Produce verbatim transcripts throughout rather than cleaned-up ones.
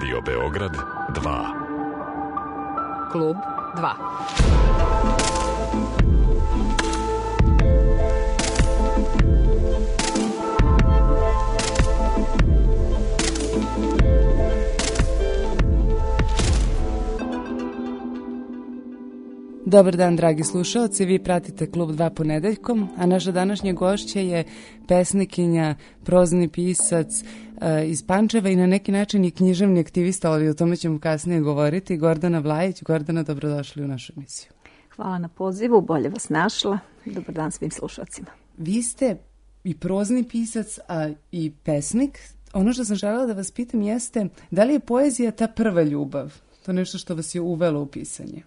Radio Beograd dva. Klub dva. Dobar dan, dragi slušalci, vi pratite Klub dva ponedeljkom, a naša današnja gošća je pesnikinja, prozni pisac uh, iz Pančeva i na neki način i književni aktivista, ali o tome ćemo kasnije govoriti, Gordana Vlajić. Gordana, dobrodošli u našu emisiju. Hvala na pozivu, bolje vas našla. Dobar dan svim slušalcima. Vi ste i prozni pisac, a i pesnik. Ono što sam želela da vas pitam jeste, da li je poezija ta prva ljubav? To nešto što vas je uvelo u pisanje?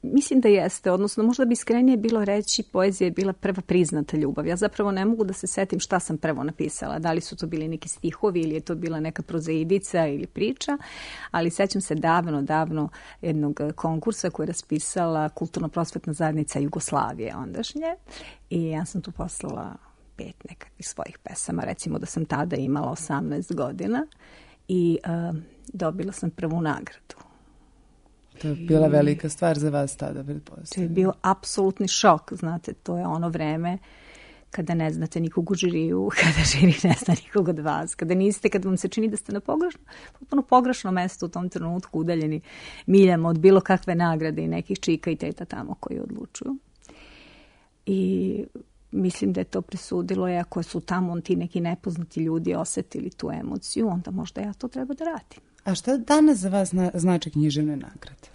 Mislim da jeste, odnosno možda bi iskrenije bilo reći poezija je bila prva priznata ljubav. Ja zapravo ne mogu da se setim šta sam prvo napisala, da li su to bili neki stihovi ili je to bila neka prozaidica ili priča, ali sećam se davno, davno jednog konkursa koji je raspisala Kulturno-prosvetna zajednica Jugoslavije ondašnje i ja sam tu poslala pet nekakvih svojih pesama, recimo da sam tada imala osamnaest godina i uh, dobila sam prvu nagradu. To je bila velika stvar za vas tada, pretpostavljam. To je bio apsolutni šok, znate, to je ono vreme kada ne znate nikog u žiriju, kada žiri ne zna nikog od vas, kada niste, kada vam se čini da ste na pogrešno, potpuno pogrešno mesto u tom trenutku udaljeni miljama od bilo kakve nagrade i nekih čika i teta tamo koji odlučuju. I mislim da je to presudilo, i ako su tamo ti neki nepoznati ljudi osetili tu emociju, onda možda ja to treba da radim. A šta danas za vas znači književne nagrade?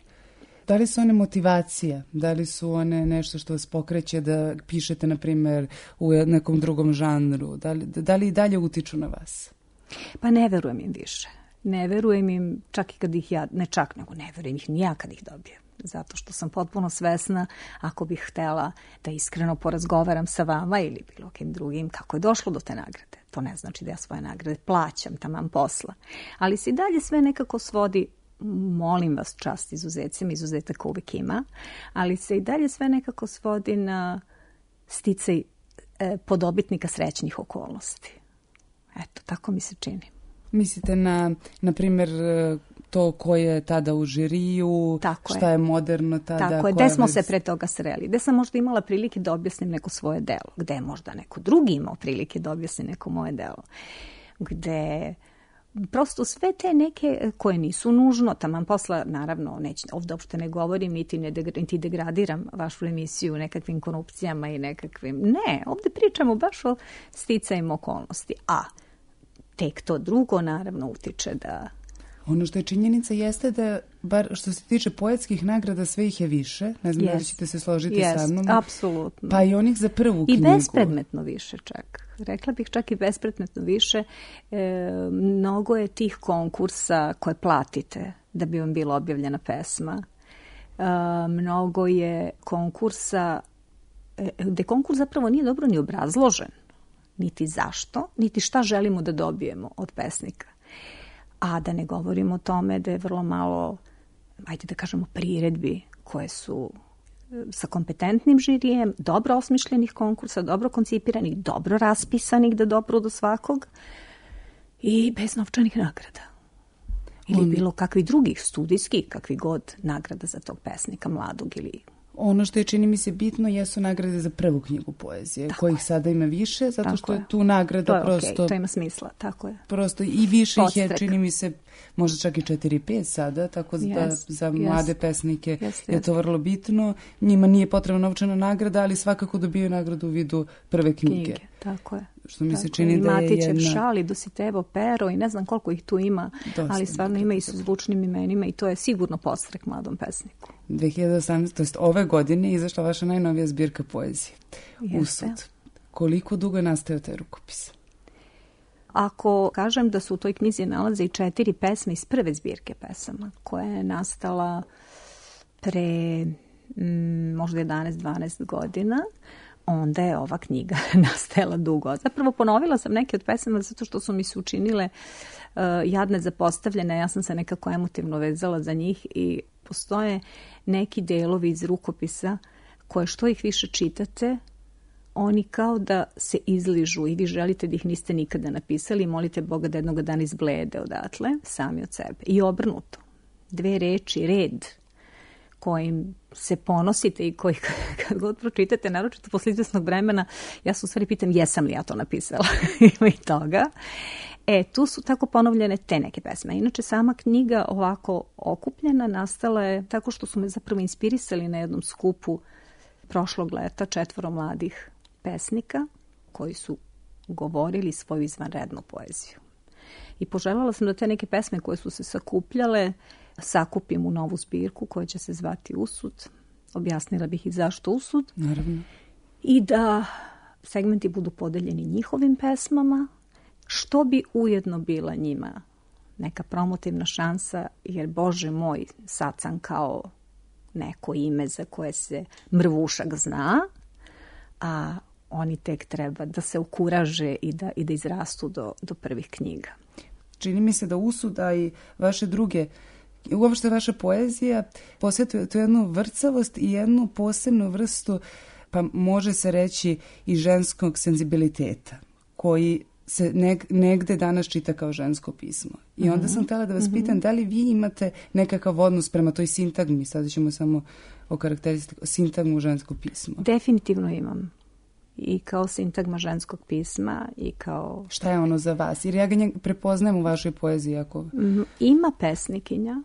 Da li su one motivacija? Da li su one nešto što vas pokreće da pišete, na primjer, u nekom drugom žanru? Da li, da li i dalje utiču na vas? Pa ne verujem im više. Ne verujem im čak i kad ih ja, ne čak nego ne verujem ih ni ja kad ih dobijem. Zato što sam potpuno svesna, ako bih htela da iskreno porazgovaram sa vama ili bilo kim drugim, kako je došlo do te nagrade. To ne znači da ja svoje nagrade plaćam, taman posla. Ali se i dalje sve nekako svodi, molim vas, čast izuzecima, izuzetaka uvijek ima, ali se i dalje sve nekako svodi na sticaj e, podobitnika srećnih okolnosti. Eto, tako mi se čini. Mislite na, na primjer, to ko je tada u žiriju, tako šta je, je moderno tada? Tako je, gde smo već... se pre toga sreli, gde sam možda imala prilike da objasnim neko svoje delo, gde je možda neko drugi imao prilike da objasni neko moje delo, gde prosto sve te neke koje nisu nužno, taman posla, naravno, neći, ovdje uopšte ne govorim, niti, ne degra, niti degradiram vašu emisiju nekakvim korupcijama i nekakvim, ne, ovdje pričamo baš o sticajima okolnosti, a tek to drugo naravno utiče da... Ono što je činjenica jeste da, bar što se tiče poetskih nagrada, sve ih je više. Ne znam yes. da li ćete se složiti yes. sa mnom. Apsolutno. Pa i onih za prvu I knjigu. I bespredmetno više čak. Rekla bih čak i bespredmetno više. E, mnogo je tih konkursa koje platite da bi vam bila objavljena pesma. E, mnogo je konkursa e, gde konkurs zapravo nije dobro ni obrazložen. Niti zašto, niti šta želimo da dobijemo od pesnika. A da ne govorimo o tome da je vrlo malo, ajde da kažemo, priredbi koje su sa kompetentnim žirijem, dobro osmišljenih konkursa, dobro koncipiranih, dobro raspisanih da dopru do svakog i bez novčanih nagrada. Ili bilo kakvih drugih studijskih, kakvih god nagrada za tog pesnika mladog ili... Ono što je, čini mi se, bitno jesu nagrade za prvu knjigu poezije, tako kojih je. Sada ima više, zato tako što je, je tu nagrada to je prosto... Okay, to ima smisla, tako je. Prosto i više Podstrek. Ih je, čini mi se, možda čak i četiri pet sada, tako yes, da za yes, mlade pesnike yes, je yes. to vrlo bitno. Njima nije potrebna novčana nagrada, ali svakako dobiju nagradu u vidu prve knjige. knjige tako je. Što mi tako se čini je. da je Matićev jedna... šali, Dositevo pero i ne znam koliko ih tu ima, Dosta, ali stvarno ima i sa zvučnim imenima i to je sigurno podstrek mladom pesniku. dve hiljade osamnaeste. to jest ove godine je izašla vaša najnovija zbirka poezije. Jeste. Usud. Koliko dugo je nastao taj rukopis? Ako kažem da su u toj knjizi nalaze i četiri pesme iz prve zbirke pesama, koja je nastala pre mm, možda jedanaest dvanaest godina, onda je ova knjiga nastajala dugo. Zapravo ponovila sam neke od pesama zato što su mi se učinile uh, jadne zapostavljene. Ja sam se nekako emotivno vezala za njih i postoje neki delovi iz rukopisa koje što ih više čitate, oni kao da se izližu i vi želite da ih niste nikada napisali i molite Boga da jednog dana izblede odatle, sami od sebe. I obrnuto. Dve reči, red, kojim se ponosite i koji kad god pročitate, naročito posle izvesnog vremena, ja se u stvari pitam jesam li ja to napisala. Ima i toga. E, tu su tako ponovljene te neke pesme. Inače, sama knjiga ovako okupljena nastala je tako što su me zapravo inspirisali na jednom skupu prošlog leta četvoro mladih pesnika koji su govorili svoju izvanrednu poeziju. I poželjela sam da te neke pesme koje su se sakupljale sakupim u novu zbirku koja će se zvati Usud. Objasnila bih i zašto Usud. Naravno. I da segmenti budu podeljeni njihovim pesmama, što bi ujedno bila njima neka promotivna šansa, jer Bože moj, sad sam kao neko ime za koje se mrvušak zna, a oni tek treba da se ukuraže i da, i da izrastu do, do prvih knjiga. Čini mi se da Usud, a i vaše druge, uopšte vaša poezija posjetuje tu jednu vrcavost i jednu posebnu vrstu, pa može se reći i ženskog senzibiliteta, koji se neg, negde danas čita kao žensko pismo. I onda sam htjela da vas mm-hmm. pitam da li vi imate nekakav odnos prema toj sintagmi, sada ćemo samo o karakteristiku, sintagmu ženskog pisma. Definitivno imam. I kao sintagma ženskog pisma i kao... Šta je ono za vas? Jer ja ga prepoznajem u vašoj poeziji. Ako... Mm, ima pesnikinja.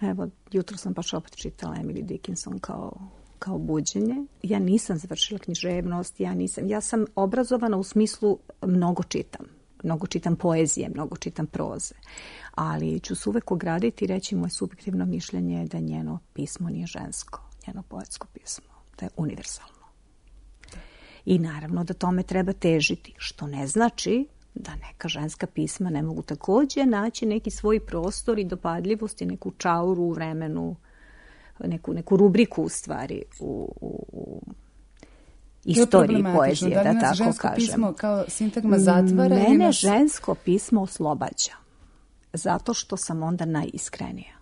Evo, jutro sam baš opet čitala Emily Dickinson kao, kao buđenje. Ja nisam završila književnost, ja nisam... Ja sam obrazovana u smislu mnogo čitam. Mnogo čitam poezije, mnogo čitam proze. Ali ću se uvek ograditi i reći moje subjektivno mišljenje je da njeno pismo nije žensko. Njeno poetsko pismo. Da je univerzalno. I naravno da tome treba težiti, što ne znači da neka ženska pisma ne mogu također naći neki svoj prostor i dopadljivost i neku čauru u vremenu, neku, neku rubriku u stvari u, u, u istoriji poezije, da, da tako žensko kažem. Pismo kao sintagma zatvara? Mene nas... žensko pismo oslobađa, zato što sam onda najiskrenija.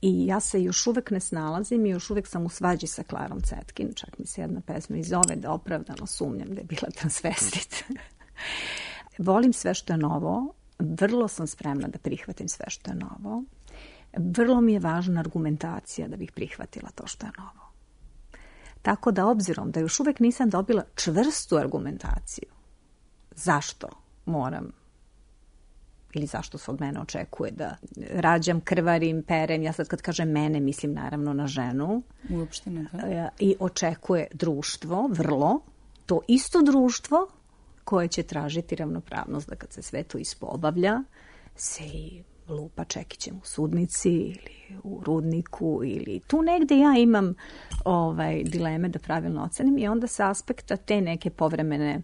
I ja se još uvek ne snalazim i još uvek sam u svađi sa Klarom Cetkin. Čak mi se jedna pesma i zove da opravdano sumnjam da je bila transvestit. Volim sve što je novo. Vrlo sam spremna da prihvatim sve što je novo. Vrlo mi je važna argumentacija da bih prihvatila to što je novo. Tako da obzirom da još uvek nisam dobila čvrstu argumentaciju zašto moram ili zašto se od mene očekuje da rađam, krvarim, perem. Ja sad kad kažem mene, mislim naravno na ženu. Uopšte ne, da. I očekuje društvo, vrlo, to isto društvo koje će tražiti ravnopravnost da kad se sve to ispoobavlja, se i lupa čekićem u sudnici ili u rudniku ili tu negde ja imam ovaj, dileme da pravilno ocenim i onda sa aspekta te neke povremene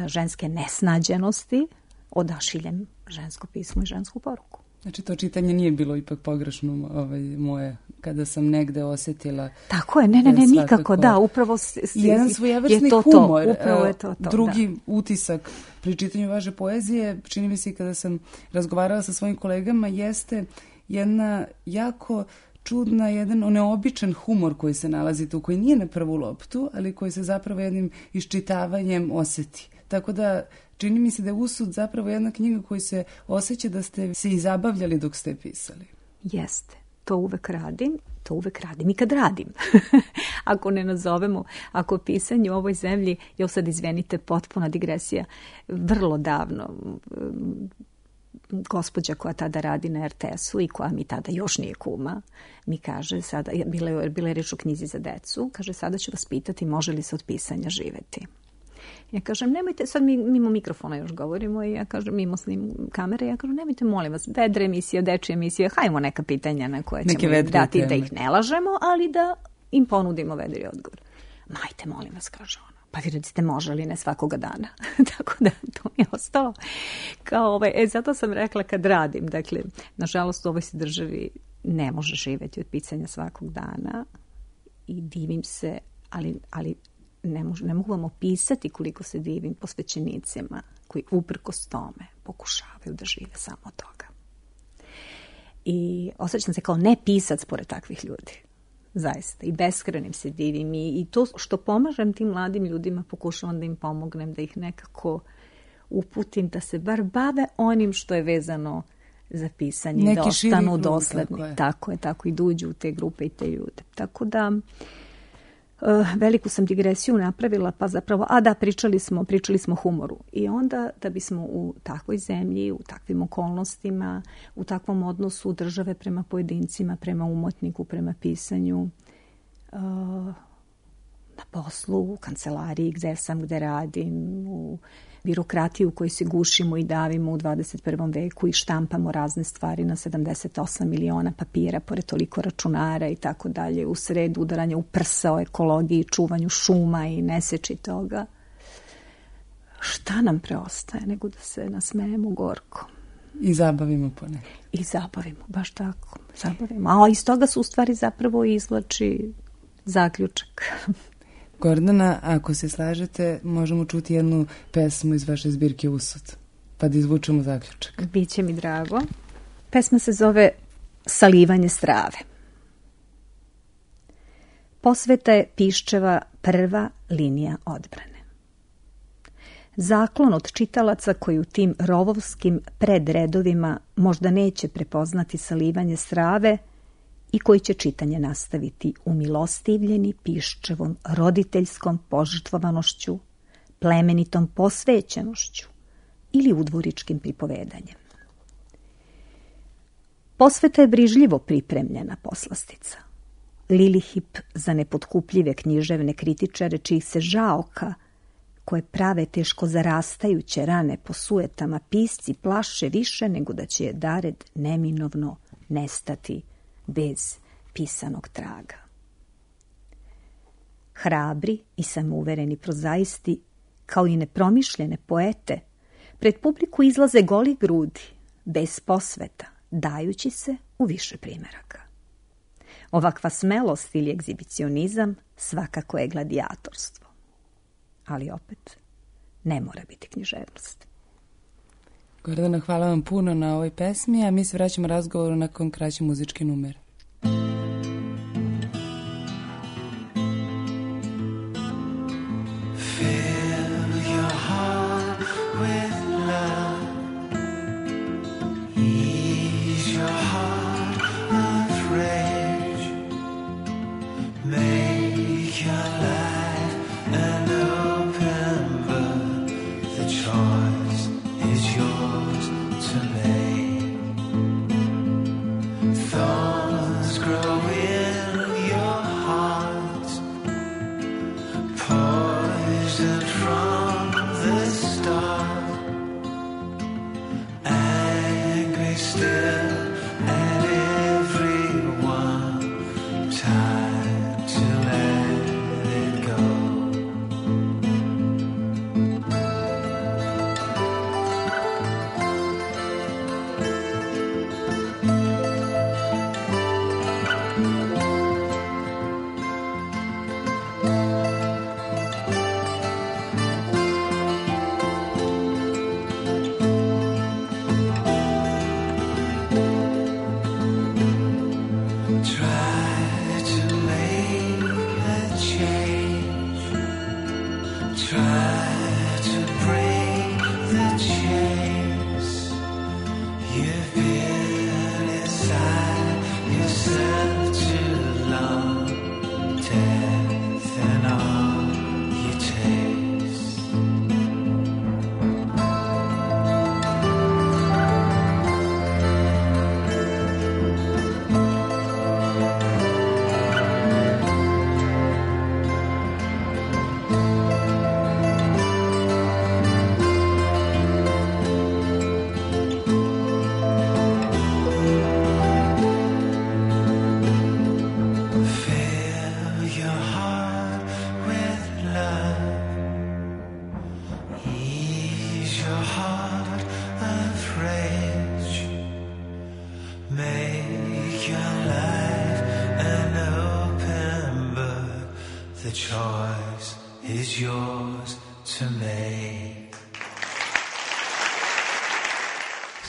ženske nesnađenosti odašiljem žensko pismo i žensku poruku. Znači to čitanje nije bilo ipak pogrešno ovaj, moje, kada sam negde osjetila... Tako je, ne, ne, ne, nikako, da, upravo s, s, jedan svojevrsni je to humor, to, upravo je to to. Drugi da. utisak pri čitanju vaše poezije, čini mi se kada sam razgovarala sa svojim kolegama, jeste jedna jako čudna, jedan neobičan humor koji se nalazi tu, koji nije na prvu loptu, ali koji se zapravo jednim iščitavanjem osjeti. Tako da čini mi se da je Usud zapravo jedna knjiga koju se osjeća da ste se i zabavljali dok ste pisali. Jeste. To uvek radim. To uvek radim i kad radim. Ako ne nazovemo, ako pisanje u ovoj zemlji, jo sad izvenite, potpuna digresija, vrlo davno gospođa koja tada radi na er te esu i koja mi tada još nije kuma, mi kaže sada, bila je, bila je reč o knjizi za decu, kaže sada ću vas pitati može li se od pisanja živeti. Ja kažem, nemojte, sad mi mimo mikrofona još govorimo i ja kažem, mimo snim kamere, ja kažem, nemojte, molim vas, vedre emisije, dečje emisije, hajmo neka pitanja na koje ćemo im dati teme. Da ih ne lažemo, ali da im ponudimo vedri odgovor. Majte, molim vas, kaže ona. Pa vi recite može li ne svakoga dana. Tako da to mi je ostalo. Kao ovaj, e, zato sam rekla kad radim, dakle, nažalost u ovoj se državi ne može živjeti od pisanja svakog dana i divim se, ali, ali Ne, mož, ne mogu vam opisati koliko se divim posvećenicima koji uprkos tome pokušavaju da žive samo od toga. I osjećam se kao ne pisac pored takvih ljudi. zaista. I beskrenim se divim. I, i to što pomažem tim mladim ljudima, pokušavam da im pomognem, da ih nekako uputim, da se bar bave onim što je vezano za pisanje, neki da ostanu dosledni. Tako je. tako je, tako i da uđu u te grupe i te ljude. Tako da uh, veliku sam digresiju napravila, pa zapravo, a da, pričali smo, pričali smo o humoru. I onda da bismo u takvoj zemlji, u takvim okolnostima, u takvom odnosu države prema pojedincima, prema umotniku, prema pisanju, uh, na poslu, u kancelariji gde sam, gde radim, u birokratiju u kojoj se gušimo i davimo u dvadeset prvom veku i štampamo razne stvari na sedamdeset osam miliona papira, pored toliko računara i tako dalje, u sred udaranja u prsa o ekologiji, čuvanju šuma i neseči toga. Šta nam preostaje nego da se nasmejemo gorko? I zabavimo ponekad. I zabavimo, baš tako. Zabavimo. A iz toga su u stvari zapravo izvlači zaključak. Gordana, ako se slažete, možemo čuti jednu pesmu iz vaše zbirke Usud, pa da izvučemo zaključak. Biće mi drago. Pesma se zove Salivanje strave. Posveta je Piščeva prva linija odbrane. Zaklon od čitalaca koji u tim rovovskim predredovima možda neće prepoznati salivanje strave i koji će čitanje nastaviti umilostivljeni Piščevom roditeljskom požrtvovanošću, plemenitom posvećenošću ili udvoričkim pripovedanjem. Posveta je brižljivo pripremljena poslastica. Lilihip za nepotkupljive književne kritičare čijih se žaoka, koje prave teško zarastajuće rane po sujetama, pisci plaše više nego da će je dared neminovno nestati bez pisanog traga. Hrabri i samouvereni prozaisti, kao i nepromišljene poete, pred publiku izlaze goli grudi, bez posveta, dajući se u više primeraka. Ovakva smelost ili egzibicionizam svakako je gladijatorstvo. Ali opet, ne mora biti književnost. Gordana, hvala vam puno na ovoj pesmi, a mi se vraćamo razgovoru nakon kraće muzičke numere.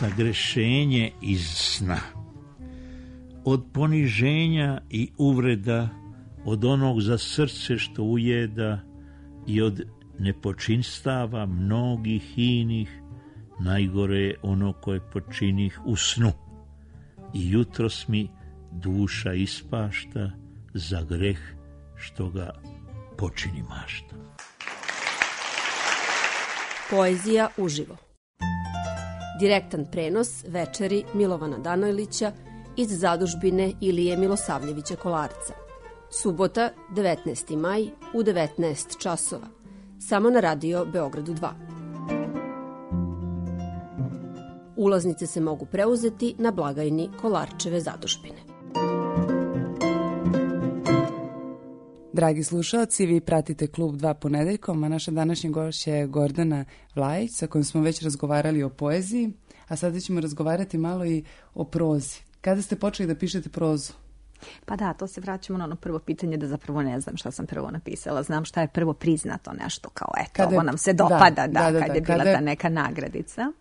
Zagrešenje iz sna. od poniženja i uvreda, od onog za srce što ujeda i od nepočinstava mnogih inih, najgore je ono koje počinih u snu. I jutros mi duša ispašta za greh što ga počini mašta. Poezija uživo. Direktan prenos večeri Milovana Danojlića iz zadužbine Ilije Milosavljevića Kolarca. Subota, devetnaesti maj u devetnaest časova. Samo na radio Beogradu dva. Ulaznice se mogu preuzeti na blagajni Kolarčeve zadužbine. Dragi slušalci, vi pratite Klub dva ponedeljkom, a naša današnja gošća je Gordana Vlajić, sa kojom smo već razgovarali o poeziji, a sada ćemo razgovarati malo i o prozi. Kada ste počeli da pišete prozu? Pa da, to se vraćamo na ono prvo pitanje da zapravo ne znam šta sam prvo napisala. Znam šta je prvo priznato nešto kao eto, kada, ovo nam se dopada, da, da, da, da kad je bila kada... ta neka nagradica.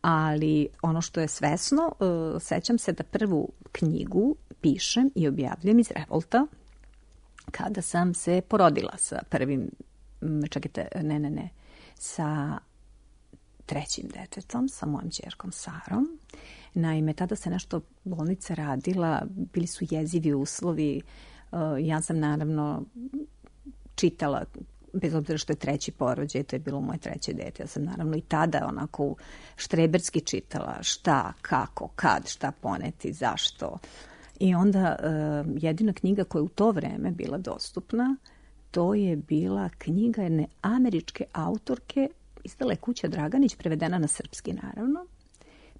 Ali ono što je svesno, uh, sećam se da prvu knjigu pišem i objavljam iz revolta kada sam se porodila sa prvim, čekajte, ne, ne, ne, sa trećim detetom, sa mojom ćerkom Sarom. Naime, tada se nešto bolnica radila, bili su jezivi uslovi. Ja sam naravno čitala, bez obzira što je treći porođaj, to je bilo moje treće dete. Ja sam naravno i tada onako štreberski čitala šta, kako, kad, šta poneti, zašto. I onda jedina knjiga koja je u to vreme bila dostupna, to je bila knjiga jedne američke autorke, izdala je Kuća Draganić, prevedena na srpski naravno.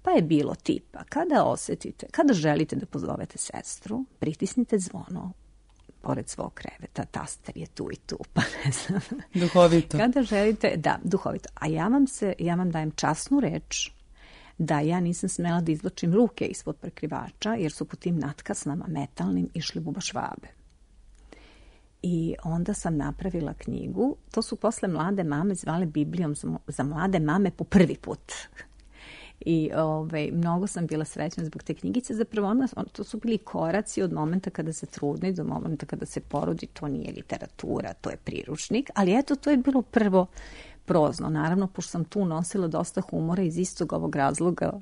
Pa je bilo tipa, kada osetite, kada želite da pozovete sestru, pritisnite zvono pored svog kreveta, taster je tu i tu, pa ne znam. Duhovito. Kada želite, da, duhovito. A ja vam se, ja vam dajem časnu reč da ja nisam smela da izvlačim ruke ispod prekrivača, jer su po tim natkasnama metalnim išli bubašvabe. I onda sam napravila knjigu, to su posle mlade mame zvale Biblijom za mlade mame po prvi put. I ovaj, mnogo sam bila srećna zbog te knjigice. Zapravo ona, to su bili koraci od momenta kada se trudni do momenta kada se porodi. To nije literatura, to je priručnik. Ali eto, to je bilo prvo prozno. Naravno, pošto sam tu nosila dosta humora iz istog ovog razloga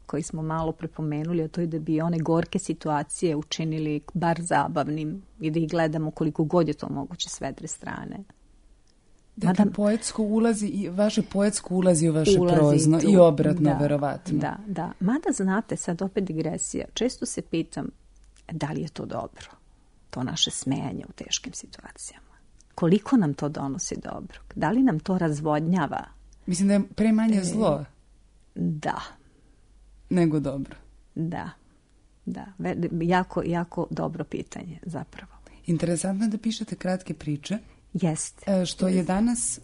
koji smo malo prepomenuli, a to je da bi one gorke situacije učinili bar zabavnim i da ih gledamo koliko god je to moguće s vedre strane. Dakle, Mada, poetsko ulazi i vaše poetsko ulazi u vaše ulazi prozno tu, i obratno, da, verovatno. Da, da. Mada znate, sad opet digresija, često se pitam da li je to dobro, to naše smejanje u teškim situacijama. Koliko nam to donosi dobro? Da li nam to razvodnjava? Mislim da je pre manje zlo. Da. Nego dobro. Da, da. Jako, jako dobro pitanje zapravo. Interesantno je da pišete kratke priče. Jeste. Što je danas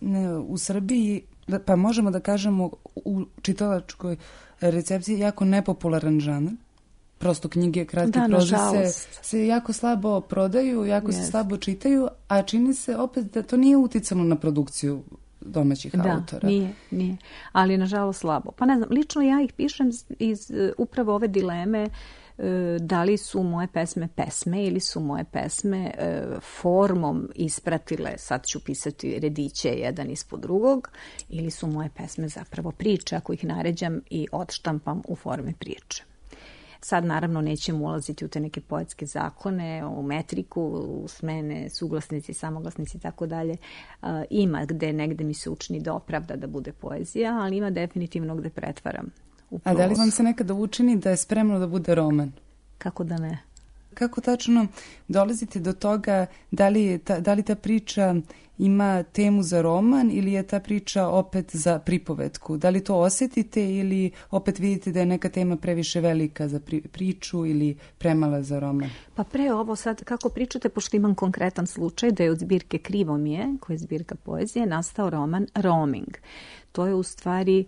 u Srbiji, pa možemo da kažemo u čitalačkoj recepciji, jako nepopularan žanr. Prosto knjige, kratke da, proze se, se jako slabo prodaju, jako yes. se slabo čitaju, a čini se opet da to nije uticalo na produkciju domaćih da, autora. Da, nije, nije. Ali nažalost slabo. Pa ne znam, lično ja ih pišem iz upravo ove dileme da li su moje pesme pesme ili su moje pesme formom ispratile, sad ću pisati rediće jedan ispod drugog, ili su moje pesme zapravo priče, ako ih naređam i odštampam u formi priče. Sad naravno nećemo ulaziti u te neke poetske zakone, u metriku, u smene, suglasnici, samoglasnici i tako dalje. Ima gde negde mi se učini da opravda da bude poezija, ali ima definitivno gde pretvaram. A da li vam se nekada učini da je spremno da bude roman? Kako da ne? Kako tačno dolazite do toga da li, ta, da li ta priča ima temu za roman ili je ta priča opet za pripovetku? Da li to osetite ili opet vidite da je neka tema previše velika za pri, priču ili premala za roman? Pa pre ovo sad, kako pričate, pošto imam konkretan slučaj da je od zbirke Krivo mi je, koja je zbirka poezije, nastao roman Roaming. To je u stvari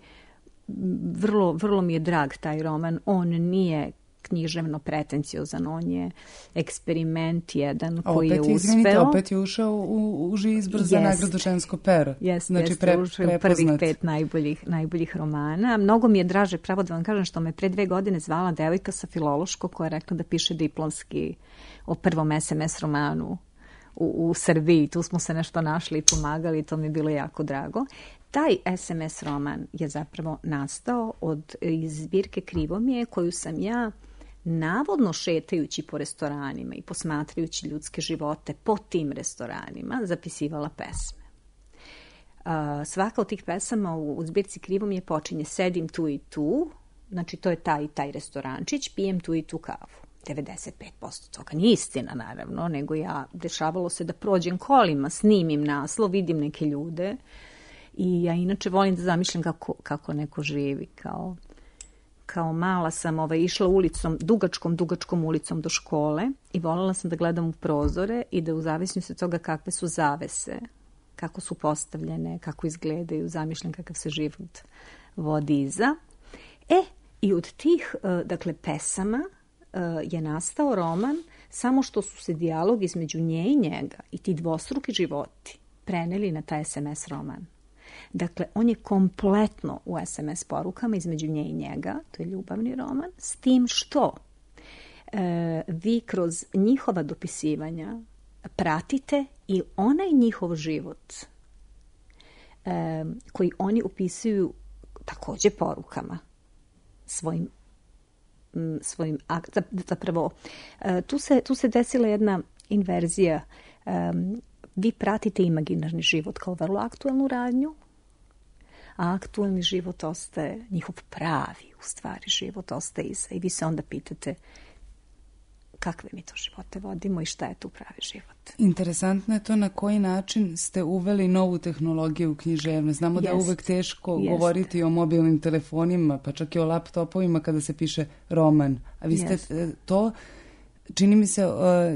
vrlo, vrlo mi je drag taj roman. On nije književno pretenciozan, on je eksperiment jedan A koji je opet, uspeo. Izvinite, opet je ušao u uži izbor za nagradu Žensko pero. Jeste, znači, jeste, pre, ušao u prvih pet najboljih, najboljih romana. Mnogo mi je draže, pravo da vam kažem, što me pre dve godine zvala devojka sa Filološkog koja je rekla da piše diplomski o prvom es em es romanu u, u Srbiji. Tu smo se nešto našli i pomagali i to mi je bilo jako drago. Taj es em es roman je zapravo nastao od iz zbirke Krivomije koju sam ja navodno šetajući po restoranima i posmatrajući ljudske živote po tim restoranima zapisivala pesme. Uh, svaka od tih pesama u, u zbirci Krivomije počinje sedim tu i tu, znači to je taj i taj restorančić, pijem tu i tu kavu. devedeset pet posto toga nije istina, naravno, nego ja, dešavalo se da prođem kolima, snimim naslov, vidim neke ljude i ja inače volim da zamišljam kako, kako neko živi. Kao, kao mala sam ovaj, išla ulicom, dugačkom, dugačkom ulicom do škole i voljela sam da gledam u prozore i da u zavisnosti od toga kakve su zavese, kako su postavljene, kako izgledaju, zamišljam kakav se život vodi iza. E, i od tih, dakle, pesama je nastao roman, samo što su se dijalog između nje i njega i ti dvostruki životi preneli na taj es em es roman. Dakle, on je kompletno u es em es porukama između nje i njega, to je ljubavni roman, s tim što e, vi kroz njihova dopisivanja pratite i onaj njihov život e, koji oni upisuju takođe porukama svojim svojim zapravo tu se, tu se desila jedna inverzija. Um, vi pratite imaginarni život kao vrlo aktuelnu radnju, a aktuelni život ostaje, njihov pravi u stvari život ostaje iza i vi se onda pitate kakve mi to živote vodimo i šta je tu pravi život. Interesantno je to na koji način ste uveli novu tehnologiju u književnost. Znamo Jest. da je uvek teško Jest. govoriti o mobilnim telefonima, pa čak i o laptopovima kada se piše roman. A vi ste Jest. to, čini mi se,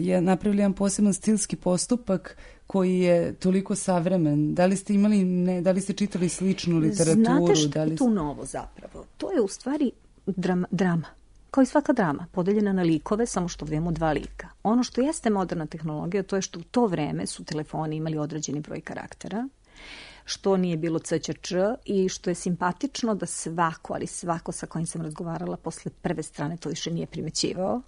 je napravili jedan poseban stilski postupak koji je toliko savremen. Da li ste imali, ne, da li ste čitali sličnu literaturu? Znate što da li... je tu novo zapravo? To je u stvari drama. drama. Kao i svaka drama, podeljena na likove, samo što vidimo dva lika. Ono što jeste moderna tehnologija, to je što u to vreme su telefoni imali određeni broj karaktera, što nije bilo ce će če i što je simpatično da svako, ali svako sa kojim sam razgovarala posle prve strane to više nije primećivao.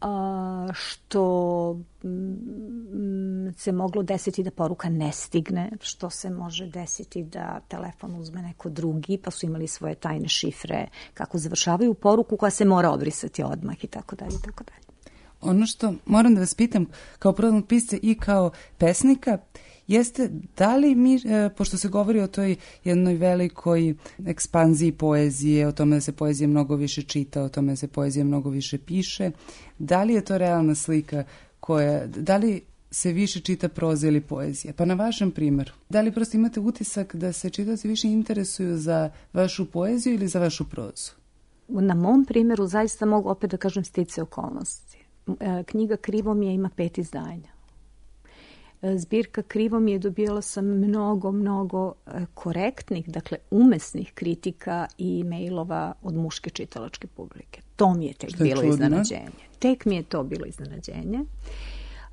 A, što m, se moglo desiti da poruka ne stigne, što se može desiti da telefon uzme neko drugi, pa su imali svoje tajne šifre, kako završavaju poruku koja se mora obrisati odmah i tako dalje i tako dalje. Ono što moram da vas pitam kao prodavnog pisca i kao pesnika jeste da li mi, pošto se govori o toj jednoj velikoj ekspanziji poezije, o tome da se poezija mnogo više čita, o tome da se poezija mnogo više piše, da li je to realna slika koja, da li se više čita proza ili poezija? Pa na vašem primjeru, da li prosto imate utisak da se čitaoci više interesuju za vašu poeziju ili za vašu prozu? Na mom primjeru zaista mogu opet da kažem stice okolnosti. Knjiga Krivomije ima pet izdanja. Zbirka Krivomije dobijala sam mnogo, mnogo korektnih, dakle umesnih kritika i mailova od muške čitalačke publike. To mi je tek Što je bilo čudno? iznenađenje. Tek mi je to bilo iznenađenje.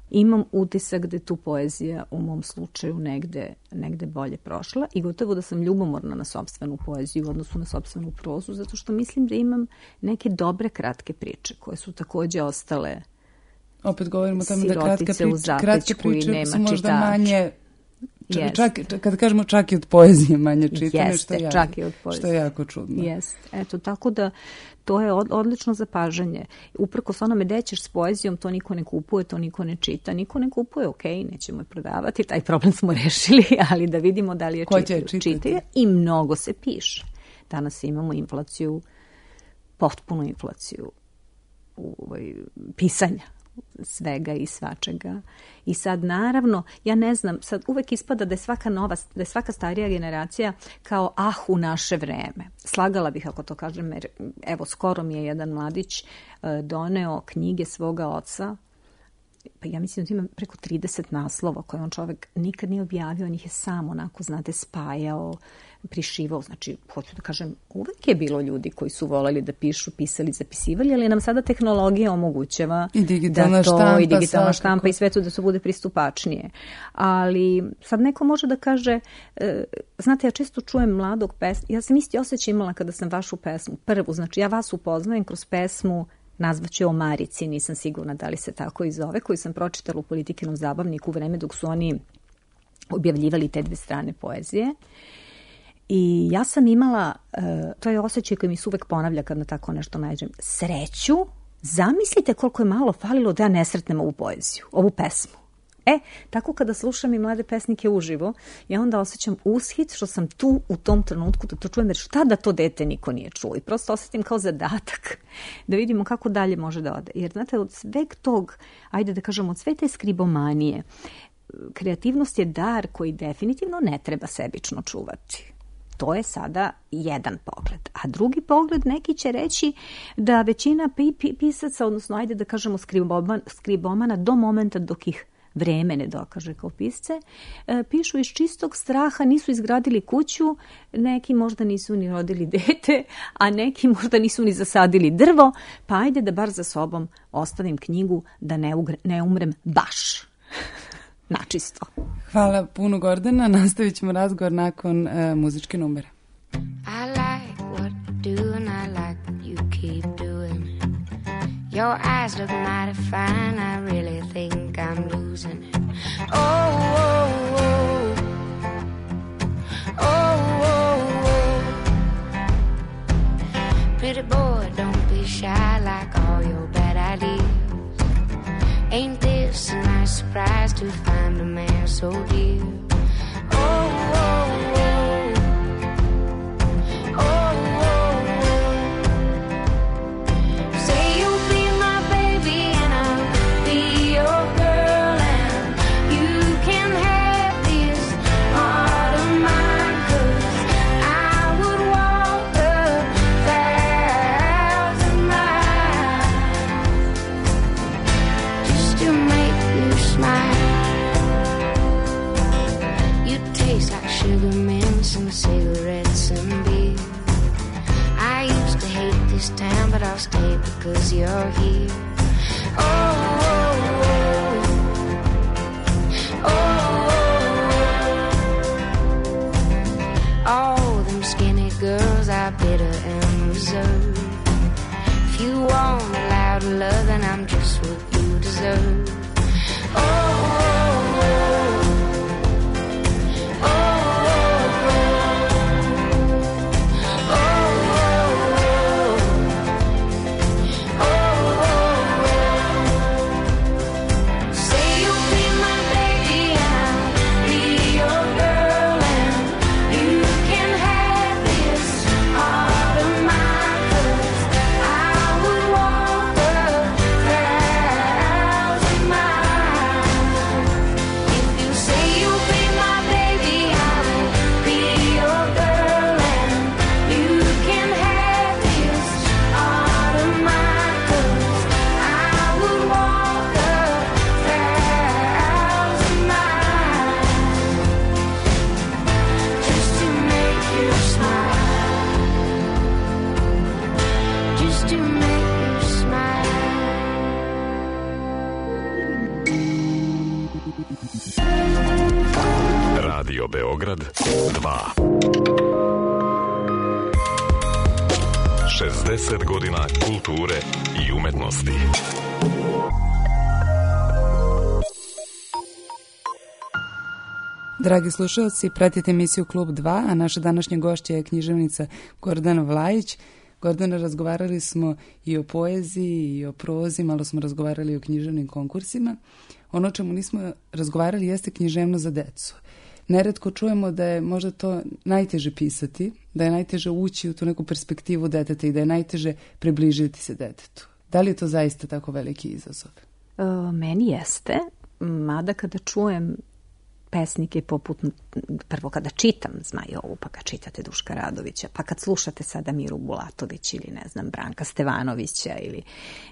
Imam utisak da je tu poezija u mom slučaju negde, negde bolje prošla i gotovo da sam ljubomorna na sopstvenu poeziju u odnosu na sopstvenu prozu, zato što mislim da imam neke dobre kratke priče koje su takođe ostale opet govorimo o tome da kratka priča, kratke priče su možda čitač. manje, čak, čak, kada kažemo čak i od poezije manje čitane, Jeste, što, je čak jako, i od poezije. što je jako čudno. Jeste, eto, tako da to je od, odlično zapažanje. Uprkos onome dećeš s poezijom, to niko ne kupuje, to niko ne čita, niko ne kupuje, ok, nećemo je prodavati, taj problem smo rešili, ali da vidimo da li je čitaju. Čitaju i mnogo se piše. Danas imamo inflaciju, potpunu inflaciju u ovaj, pisanja svega i svačega. I sad naravno, ja ne znam, sad uvek ispada da je svaka nova, da je svaka starija generacija kao ah u naše vreme. Slagala bih ako to kažem, jer evo skoro mi je jedan mladić uh, doneo knjige svoga oca pa ja mislim da ima preko trideset naslova koje on čovek nikad nije objavio, on ih je sam onako, znate, spajao, prišivao. Znači, hoću da kažem, uvek je bilo ljudi koji su voleli da pišu, pisali, zapisivali, ali nam sada tehnologija omogućava I digitalna da to, štampa, i digitalna svakako. štampa i sve to da to bude pristupačnije. Ali sad neko može da kaže, e, znate, ja često čujem mladog pesma, ja sam isti osjećaj imala kada sam vašu pesmu, prvu, znači ja vas upoznajem kroz pesmu, nazvaću o Marici, nisam sigurna da li se tako i zove, koju sam pročitala u Politikinom zabavniku u vreme dok su oni objavljivali te dve strane poezije. I ja sam imala, uh, to je osjećaj koji mi se uvek ponavlja kad na tako nešto nađem, sreću, zamislite koliko je malo falilo da ja ne sretnem ovu poeziju, ovu pesmu. E, tako kada slušam i mlade pesnike uživo, ja onda osjećam ushit što sam tu u tom trenutku da to čujem, jer šta da to dete niko nije čuo. I prosto osjetim kao zadatak da vidimo kako dalje može da ode. Jer znate, od sveg tog, ajde da kažemo, od sve te skribomanije, kreativnost je dar koji definitivno ne treba sebično čuvati. To je sada jedan pogled. A drugi pogled, neki će reći da većina pisaca, odnosno ajde da kažemo skriboman, skribomana do momenta dok ih vreme ne dokaže kao pisce, pišu iz čistog straha, nisu izgradili kuću, neki možda nisu ni rodili dete, a neki možda nisu ni zasadili drvo, pa ajde da bar za sobom ostavim knjigu da ne, ugre, ne umrem baš. Načisto. Hvala puno, Gordana. Nastavit ćemo razgovor nakon uh, muzičke numere. I like what you do and I like what you keep doing. Your eyes look mighty fine, I really think I'm losing it. Oh, oh, oh. Oh, oh, oh. Pretty boy, don't be shy like all your bad ideas. Ain't this a nice surprise to find a man so dear? Oh, oh, oh. Oh, oh, oh. Say you'll be my baby and I'll be your girl, and you can have this heart of mine, 'cause I would walk a thousand miles just to make you smile. You taste like sugar mints and cigarettes and beer. I used to hate this town, but I'll stay because you're here. Oh, oh, oh. Oh, oh, oh. All them skinny girls are bitter and reserved. If you want a loud love, then I'm just what you deserve. Oh, oh, oh. Oh, oh, oh. Oh, oh, oh. Say you'll be my baby and I'll be your girl, and you can have this heart of mine, 'cause I would walk a thousand miles. If you say you'll be my baby, I will be your girl, and you can have this heart of mine, 'cause I would walk a thousand miles just to make you smile, just to make you smile. Radio Beograd dva. šezdeset godina kulture i umetnosti. Dragi slušalci, pratite emisiju Klub dva, a naša današnja gošća je književnica Gordana Vlajić. Gordana, razgovarali smo i o poeziji i o prozi, malo smo razgovarali i o književnim konkursima. Ono o čemu nismo razgovarali jeste književnost za decu. Neretko čujemo da je možda to najteže pisati, da je najteže ući u tu neku perspektivu deteta i da je najteže približiti se detetu. Da li je to zaista tako veliki izazov? E, meni jeste, mada kada čujem pesnike poput, prvo kada čitam Zmajovu, pa kad čitate Duška Radovića, pa kad slušate sada Miru Bulatović ili ne znam Branka Stevanovića, ili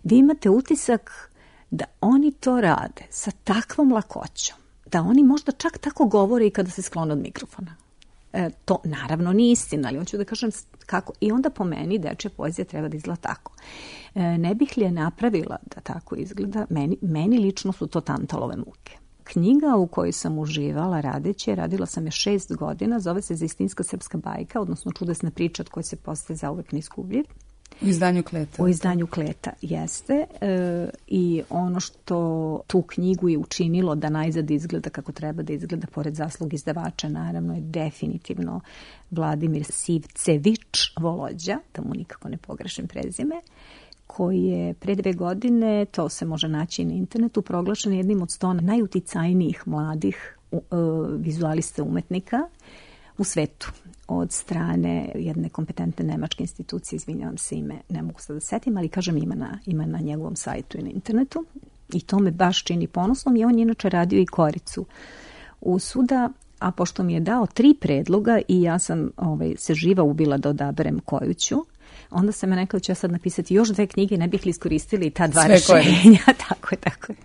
vi imate utisak da oni to rade sa takvom lakoćom, da oni možda čak tako govore i kada se sklone od mikrofona. E, to naravno nije istina, ali hoću da kažem kako. I onda po meni dečja poezija treba da izgleda tako. E, ne bih li je napravila da tako izgleda, meni, meni lično su to Tantalove muke. Knjiga u kojoj sam uživala radeći, radila sam je šest godina, zove se Zaistinska srpska bajka, odnosno čudesna priča od koje se postaje zauvek neizgubljiv. U izdanju Kleta. U izdanju Kleta, jeste. E, I ono što tu knjigu je učinilo da najzad izgleda kako treba da izgleda, pored zaslug izdavača, naravno je definitivno Vladimir Sivcević Volođa, da mu nikako ne pogrešim prezime, koji je pre dve godine, to se može naći i na internetu, proglašen jednim od sto najuticajnijih mladih uh, vizualista umetnika u svetu od strane jedne kompetentne nemačke institucije, izvinjavam se ime, ne mogu sad da setim, ali kažem ima na, ima na njegovom sajtu i na internetu i to me baš čini ponosnom i on je inače radio i Koricu usuda, a pošto mi je dao tri predloga i ja sam ovaj, se živa ubila da odaberem koju ću, onda sam me nekao da ću ja sad napisati još dve knjige, ne bih li iskoristili ta dva sve rešenja. tako je, tako je.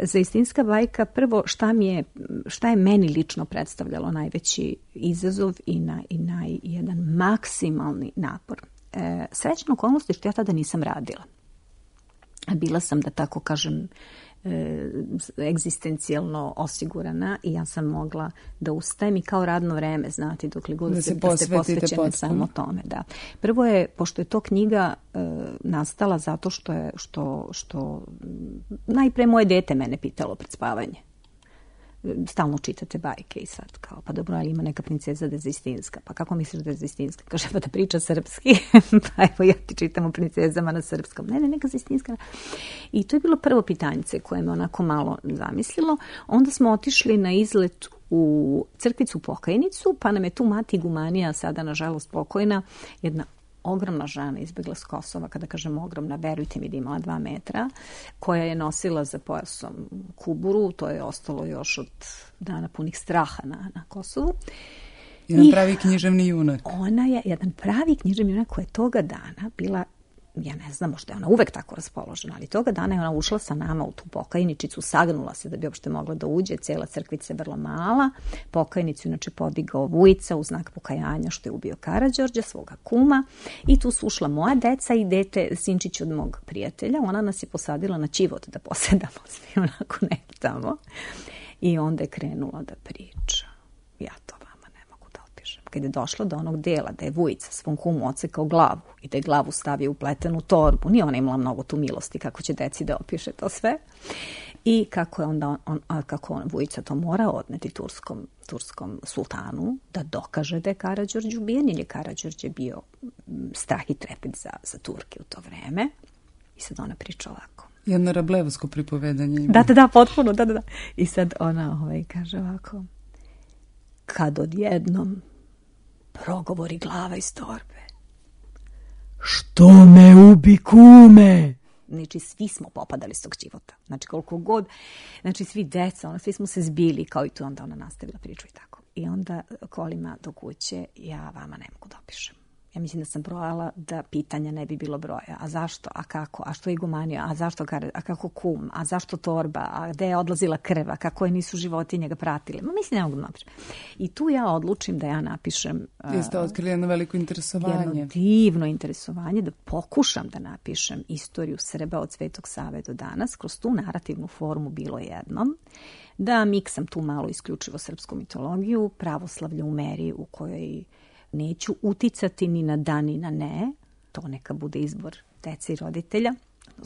Zaistinska bajka, prvo šta, mi je, šta je meni lično predstavljalo najveći izazov i, na, i naj, jedan maksimalni napor. E, srećna okolnost je što ja tada nisam radila. Bila sam, da tako kažem, e, egzistencijalno osigurana i ja sam mogla da ustajem i kao radno vreme, znate, dokle god da, se, da ste posvećene samo tome. Da. Prvo je, pošto je to knjiga e, nastala zato što je, što, što najpre moje dete mene pitalo pred spavanje. Stalno čitate bajke i sad kao, pa dobro, ali ima neka princeza da je Zaistinska. Pa kako misliš da je Zaistinska? Kaže, pa da priča srpski. Pa evo, ja ti čitam o princezama na srpskom. Ne, ne, neka Zaistinska. I to je bilo prvo pitanjice koje me onako malo zamislilo. Onda smo otišli na izlet u crkvicu Pokajnicu, pa nam je tu mati Gumanija, sada nažalost pokojna, jedna ogromna žena izbjegla s Kosova, kada kažem ogromna, verujte mi da imala dva metra, koja je nosila za pojasom kuburu, to je ostalo još od dana punih straha na, na Kosovu. Jedan I pravi književni junak. Ona je jedan pravi književni junak koja je toga dana bila, ja ne znam, možda je ona uvek tako raspoložena, ali toga dana je ona ušla sa nama u tu pokajničicu, sagnula se da bi uopšte mogla da uđe, cijela crkvica je vrlo mala, pokajnicu inače podigao Vujica u znak pokajanja što je ubio Karađorđa, svoga kuma, i tu su ušla moja deca i dete, sinčić od mog prijatelja, ona nas je posadila na ćivot da posedamo svi onako neki tamo i onda je krenula da priča. Ja to kad je došlo do onog dela da je Vujica svom kumu ocekao glavu i da je glavu stavio u pletenu torbu, nije ona imala mnogo tu milosti kako će deci da opiše to sve, i kako je onda on, a kako on, Vujica to mora odneti turskom, turskom sultanu da dokaže da je Karađorđe ubijen, jer je Karađorđe bio strah i trepet za, za Turke u to vreme. I sad ona priča ovako. Jedno rablevsko pripovedanje ima. Da, da, da, potpuno, da, da, da. I sad ona ovaj, kaže ovako, kad odjednom progovori glava iz torbe. Što me ubi, kume? Znači, svi smo popadali s tog života. Znači, koliko god, znači, svi deca, ona, svi smo se zbili, kao i tu, onda ona nastavila priču i tako. I onda kolima do kuće, ja vama ne mogu da opišem. Ja mislim da sam brojala da pitanja ne bi bilo broja. A zašto? A kako? A što je igumanio? A zašto? A kako kum? A zašto torba? A gde je odlazila krv? A kako je nisu životinje ga pratile? Ma mislim, ne mogu da napišem. I tu ja odlučim da ja napišem... Jeste otkrili jedno veliko interesovanje. Jedno divno interesovanje, da pokušam da napišem istoriju Srba od Svetog Save do danas. Kroz tu narativnu formu bilo jednom. Da miksam tu malo isključivo srpsku mitologiju, pravoslavlje u meri u kojoj neću uticati ni na da ni na ne, to neka bude izbor dece i roditelja,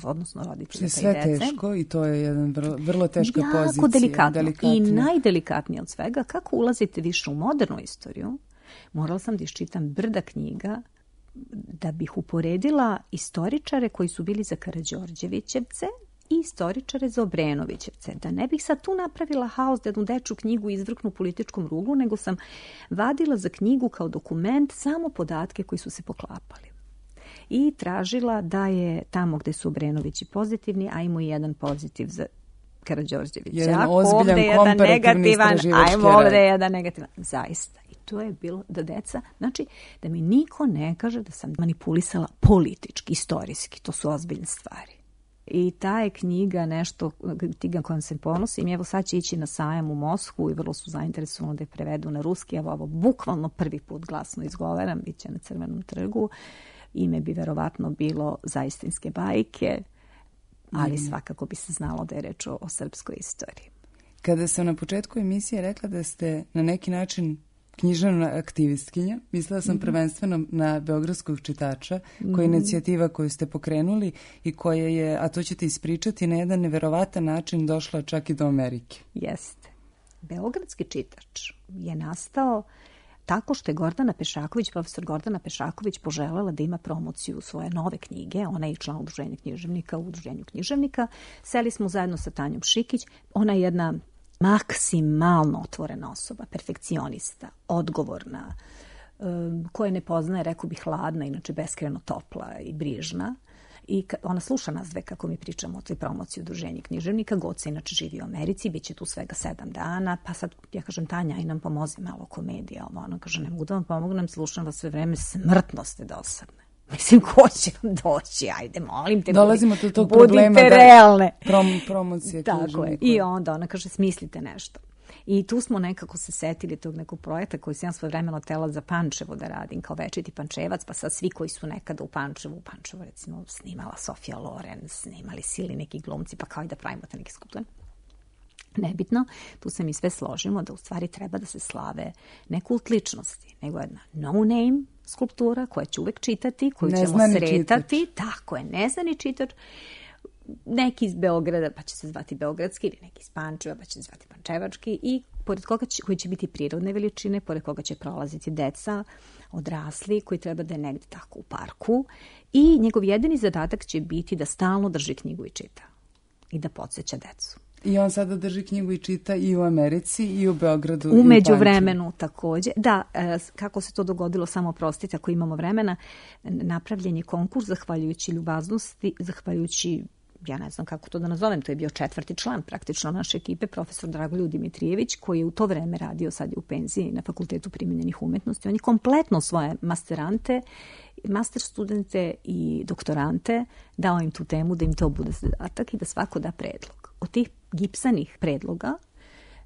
odnosno roditelja sve pa i dece. Teško i to je jedan vrlo, vrlo teška jako pozicija. Jako delikatno. delikatno. I najdelikatnije od svega, kako ulazite više u modernu istoriju, morala sam da iščitam brda knjiga da bih uporedila istoričare koji su bili za Karađorđevićevce i istoričare za Obrenovićevce. Da ne bih sad tu napravila haos da jednu dečju knjigu izvrknu političkom ruglu, nego sam vadila za knjigu kao dokument samo podatke koji su se poklapali. I tražila da je tamo gde su Obrenovići pozitivni, ajmo i jedan pozitiv za Karađorđevića. Jedan ozbiljan komparativni istraživački rad. Ajmo ovde jedan negativan. Zaista. I to je bilo da deca, znači da mi niko ne kaže da sam manipulisala politički, istorijski. To su ozbiljne stvari. I ta je knjiga nešto, knjiga kojom se ponosim. Evo sad će ići na sajam u Moskvu i vrlo su zainteresovani da je prevedu na ruski. Evo ovo bukvalno prvi put glasno izgovaram, bit će na Crvenom trgu. Ime bi verovatno bilo Zaistinske bajke, ali mm. svakako bi se znalo da je reč o, o srpskoj istoriji. Kada sam na početku emisije rekla da ste na neki način književna aktivistkinja, mislila sam mm-hmm. prvenstveno na Beogradskog čitača, koja je mm-hmm. inicijativa koju ste pokrenuli i koja je, a to ćete ispričati, na jedan neverovatan način došla čak i do Amerike. Jeste. Beogradski čitač je nastao tako što je Gordana Pešaković, profesor Gordana Pešaković, poželjela da ima promociju svoje nove knjige. Ona je i član udruženja književnika u udruženju književnika. Seli smo zajedno sa Tanjom Šikić. Ona je jedna maksimalno otvorena osoba, perfekcionista, odgovorna, koja ne poznaje, rekao bih, hladna, inače beskrajno topla i brižna. I ona sluša nas dve kako mi pričamo o toj promociji udruženja književnika. Goca inače živi u Americi, bit će tu svega sedam dana, pa sad ja kažem, Tanja, i nam pomozi malo komedija. Ona kaže, ne mogu da vam pomognem, slušam vas sve vreme, smrtno ste dosadne. Mislim, ko će vam doći? Ajde, molim te, dolazimo budi, do tog budite problema realne. Da, prom, promocije tako je. I onda ona kaže, smislite nešto. I tu smo nekako se setili tog nekog projekta koji sam ja svoje vremeno tela za Pančevo da radim kao večiti Pančevac, pa sad svi koji su nekada u Pančevu, u Pančevu recimo snimala Sofija Loren, snimali sili neki glumci, pa kao i da pravimo te neke skulpture. Nebitno, tu se mi sve složimo da u stvari treba da se slave ne kult ličnosti, nego jedna no name skulptura koja će uvek čitati, koju ćemo sretati. Čitač. Tako je, neznani čitač. Neki iz Beograda, pa će se zvati beogradski, ili neki iz Pančeva, pa će se zvati pančevački, i pored koga će, koji će biti prirodne veličine, pored koga će prolaziti deca, odrasli, koji treba da je negde tako u parku, i njegov jedini zadatak će biti da stalno drži knjigu i čita i da podsjeća decu. I on sada drži knjigu i čita i u Americi i u Beogradu. U međuvremenu takođe. Da, kako se to dogodilo, samo prostite ako imamo vremena, napravljen je konkurs zahvaljujući ljubaznosti, zahvaljujući, ja ne znam kako to da nazovem, to je bio četvrti član praktično naše ekipe, profesor Dragoljub Dimitrijević, koji je u to vreme radio, sad je u penziji na Fakultetu primenjenih umetnosti. On je kompletno svoje masterante, master studente i doktorante dao im tu temu da im to bude zadatak i da svako da predlog. Od tih gipsanih predloga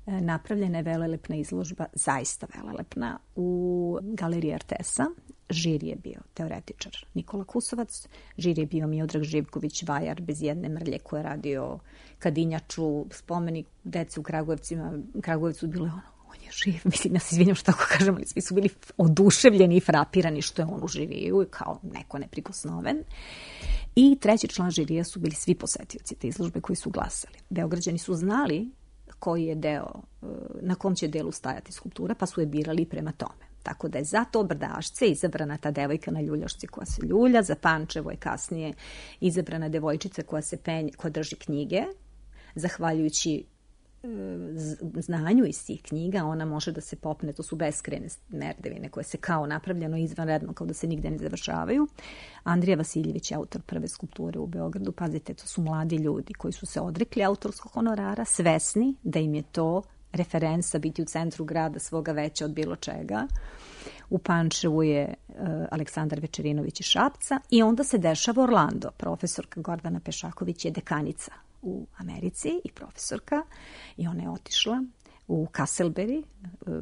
napravljena je velelepna izložba, zaista velelepna, u Galeriji Artesa. Žiri je bio teoretičar Nikola Kusovac, žiri je bio Miodrag Živković, vajar bez jedne mrlje, koji je radio Kadinjaču, spomenik dece u Kragujevcima. Kragujevcu bilo je ono, on je živ, mislim, ja se izvinjam što tako kažem, ali svi su bili oduševljeni i frapirani što je on uživio kao neko neprikosnoven. I treći član žirija su bili svi posetioci te izložbe koji su glasali. Beograđani su znali koji je deo, na kom će delu stajati skulptura, pa su je birali prema tome. Tako da je za to Brdašce izabrana ta devojka na ljuljašci koja se ljulja, za Pančevo je kasnije izabrana devojčica koja se penje, koja drži knjige. Zahvaljujući znanju iz tih knjiga, ona može da se popne, to su beskrajne merdevine koje se kao napravljeno izvanredno, kao da se nigde ne završavaju. Andrija Vasiljević je autor prve skulpture u Beogradu. Pazite, to su mladi ljudi koji su se odrekli autorskog honorara, svesni da im je to referenca biti u centru grada svoga veća od bilo čega. U Pančevu je uh, Aleksandar Večerinović iz Šapca, i onda se dešava Orlando. Profesorka Gordana Pešaković je dekanica u Americi i profesorka, i ona je otišla u Castleberry, uh,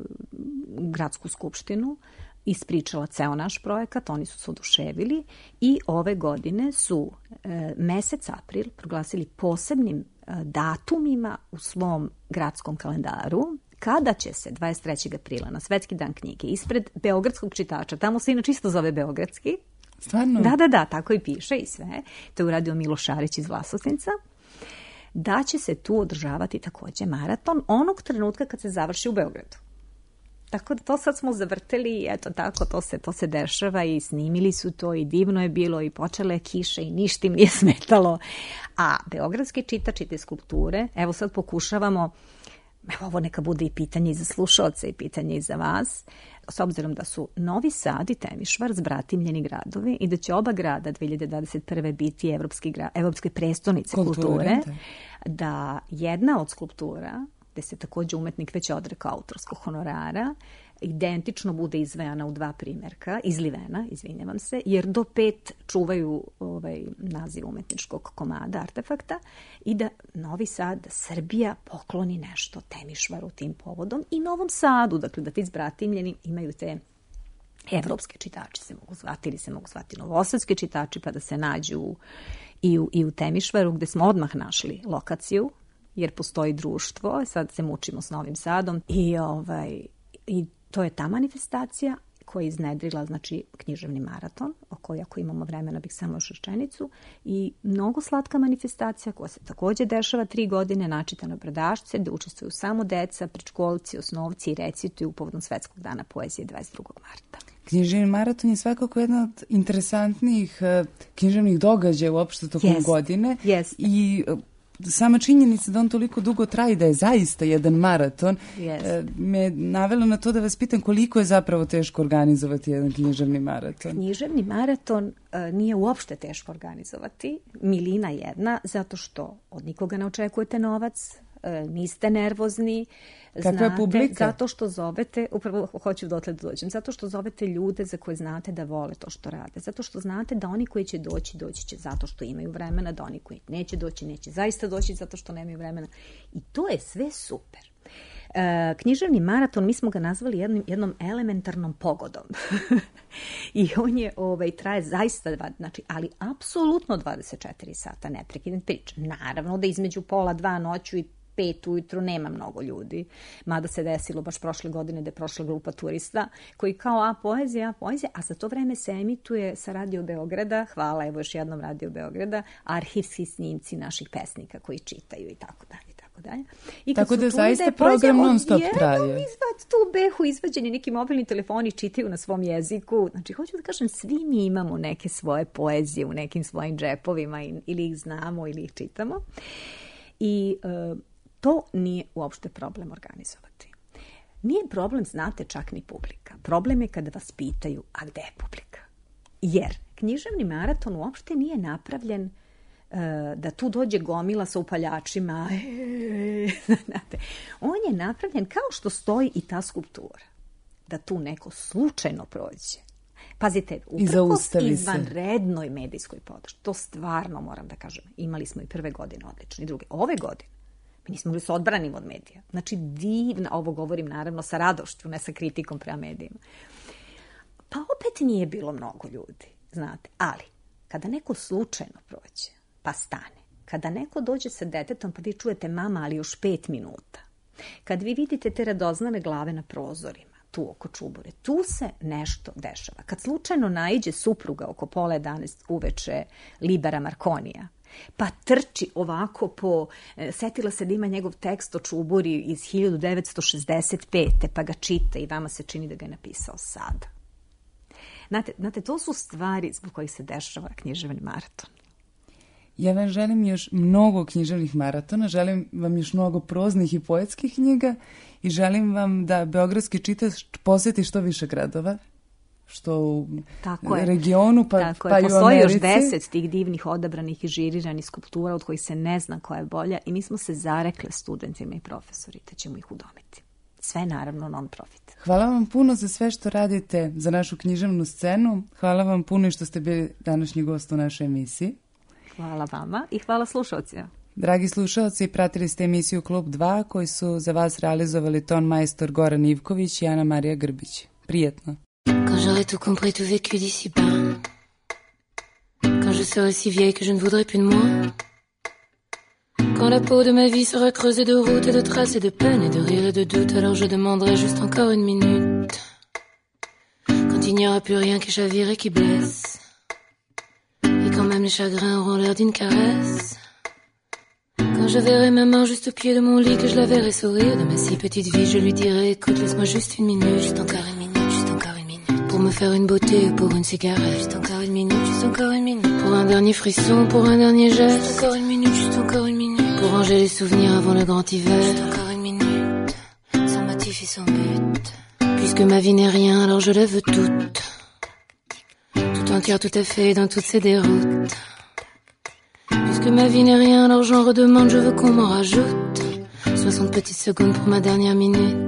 gradsku skupštinu, ispričala ceo naš projekat, oni su se oduševili, i ove godine su uh, mesec april proglasili posebnim datumima u svom gradskom kalendaru, kada će se dvadeset trećeg aprila na Svetski dan knjige ispred Beogradskog čitača, tamo se inače isto zove Beogradski. Stvarno? Da, da, da, tako i piše i sve. To je uradio Miloš Šarić iz Vlasovnica. Da će se tu održavati takođe maraton onog trenutka kad se završi u Beogradu. Tako da to sad smo zavrteli i eto tako, to se, to se dešava, i snimili su to i divno je bilo i počele je kiše i ništa im nije smetalo. A beogradski čitač i te skulpture, evo sad pokušavamo, evo ovo neka bude i pitanje i za slušaoce i pitanje i za vas, s obzirom da su Novi Sad i Temišvar zbratimljeni gradovi i da će oba grada dve hiljade dvadeset prve biti evropski gra, evropske prestonice kulture, kulture, da jedna od skulptura, gde se takođe umetnik već odrekao autorskog honorara, identično bude izvejana u dva primjerka, izlivena, izvinjavam se, jer do pet čuvaju ovaj naziv umetničkog komada, artefakta, i da Novi Sad, Srbija pokloni nešto Temišvaru tim povodom i Novom Sadu, dakle da ti zbratimljeni imaju te evropske čitači se mogu zvati ili se mogu zvati novosadski čitači pa da se nađu i u, i u Temišvaru gde smo odmah našli lokaciju jer postoji društvo, sad se mučimo s Novim Sadom i, ovaj, i to je ta manifestacija koja je iznedrila, znači, književni maraton, o kojoj ako imamo vremena bih samo još rečenicu, i mnogo slatka manifestacija koja se također dešava tri godine, načitano bradašce, gde učestvuju samo deca, predškolci, osnovci i recituju povodom Svetskog dana poezije dvadeset drugog marta. Književni maraton je svakako jedna od interesantnijih uh, književnih događaja uopšte tokom yes. godine. Yes. I uh, sama činjenica da on toliko dugo traje, da je zaista jedan maraton, yes. uh, me navela na to da vas pitam koliko je zapravo teško organizovati jedan književni maraton. Književni maraton uh, nije uopšte teško organizovati, milina jedna, zato što od nikoga ne očekujete novac, niste nervozni, znate, publika? Zato što zovete, upravo hoću dotle da dođem, zato što zovete ljude za koje znate da vole to što rade, zato što znate da oni koji će doći, doći će zato što imaju vremena, da oni koji neće doći, neće zaista doći zato što nemaju vremena. I to je sve super. E, književni maraton, mi smo ga nazvali jednom, jednom elementarnom pogodom. I on je, ovaj, traje zaista, dva, znači, ali apsolutno dvadeset četiri sata neprekidne priče. Naravno da između pola dva noću i pet ujutru nema mnogo ljudi, mada se desilo baš prošle godine da je prošla grupa turista koji kao a poezija, a poezija, a za to vreme se emituje sa Radio Beograda, hvala evo još jednom Radio Beograda, arhivski snimci naših pesnika koji čitaju i tako dalje. Tako, dalje. I tako da zaista program non stop traje. Izvad tu behu izvađeni neki mobilni telefoni, čitaju na svom jeziku. Znači, hoću da kažem, svi mi imamo neke svoje poezije u nekim svojim džepovima ili ih znamo ili ih čitamo. I uh, to nije uopšte problem organizovati. Nije problem, znate, čak ni publika. Problem je kada vas pitaju, a gde je publika? Jer književni maraton uopšte nije napravljen uh, da tu dođe gomila sa upaljačima. Znate, on je napravljen kao što stoji i ta skulptura. Da tu neko slučajno prođe. Pazite, uprkos izvanrednoj medijskoj podršci, to stvarno moram da kažem, imali smo i prve godine odlične, i druge. Ove godine mi nismo mogli se odbranimo od medija. Znači, divna, ovo govorim naravno sa radošću, ne sa kritikom prema medijima. Pa opet nije bilo mnogo ljudi, znate. Ali, kada neko slučajno prođe, pa stane, kada neko dođe sa detetom, pa vi čujete mama, ali još pet minuta. Kad vi vidite te radoznale glave na prozorima, tu oko čubure, tu se nešto dešava. Kad slučajno naiđe supruga oko pola jedanaest uveče Libera Marconija, pa trči ovako po, setila se da ima njegov tekst o čuburi iz hiljadu devetsto šezdeset pete, pa ga čita i vama se čini da ga je napisao sada. Znate, znate, to su stvari zbog kojih se dešava književni maraton. Ja vam želim još mnogo književnih maratona, želim vam još mnogo proznih i poetskih knjiga i želim vam da beogradski čitač posjeti što više gradova, što u Tako regionu, pa, Tako pa je. i u Postoji Americi. još deset tih divnih odabranih i žiriranih skulptura od kojih se ne zna koja je bolja i mi smo se zarekle studentima i profesori da ćemo ih udomiti. Sve naravno non-profit. Hvala vam puno za sve što radite za našu književnu scenu. Hvala vam puno i što ste bili današnji gost u našoj emisiji. Hvala vama i hvala slušalcima. Dragi slušalci, pratili ste emisiju Klub dva koji su za vas realizovali ton majstor Goran Ivković i Ana Marija Grbić. Prijetno. Quand j'aurai tout compris, tout vécu d'ici bas. Quand je serai si vieille que je ne voudrais plus de moi. Quand la peau de ma vie sera creusée de routes et de traces et de peines et de rires et de doutes, alors je demanderai juste encore une minute. Quand il n'y aura plus rien qui chavire et qui blesse. Et quand même les chagrins auront l'air d'une caresse. Quand je verrai ma main juste au pied de mon lit, que je la verrai sourire de ma si petite vie, je lui dirai, écoute, laisse-moi juste une minute, juste encore une minute, juste encore une minute. Pour me faire une beauté ou pour une cigarette, juste encore une minute, juste encore une minute. Pour un dernier frisson, pour un dernier geste, juste encore une minute, juste encore une minute. Pour ranger les souvenirs avant le grand hiver, juste encore une minute. Sans motif et sans but. Puisque ma vie n'est rien, alors je la veux toute. Tout entière, tout à fait, dans toutes ces déroutes. Puisque ma vie n'est rien, alors j'en redemande, je veux qu'on m'en rajoute. Soixante petites secondes pour ma dernière minute.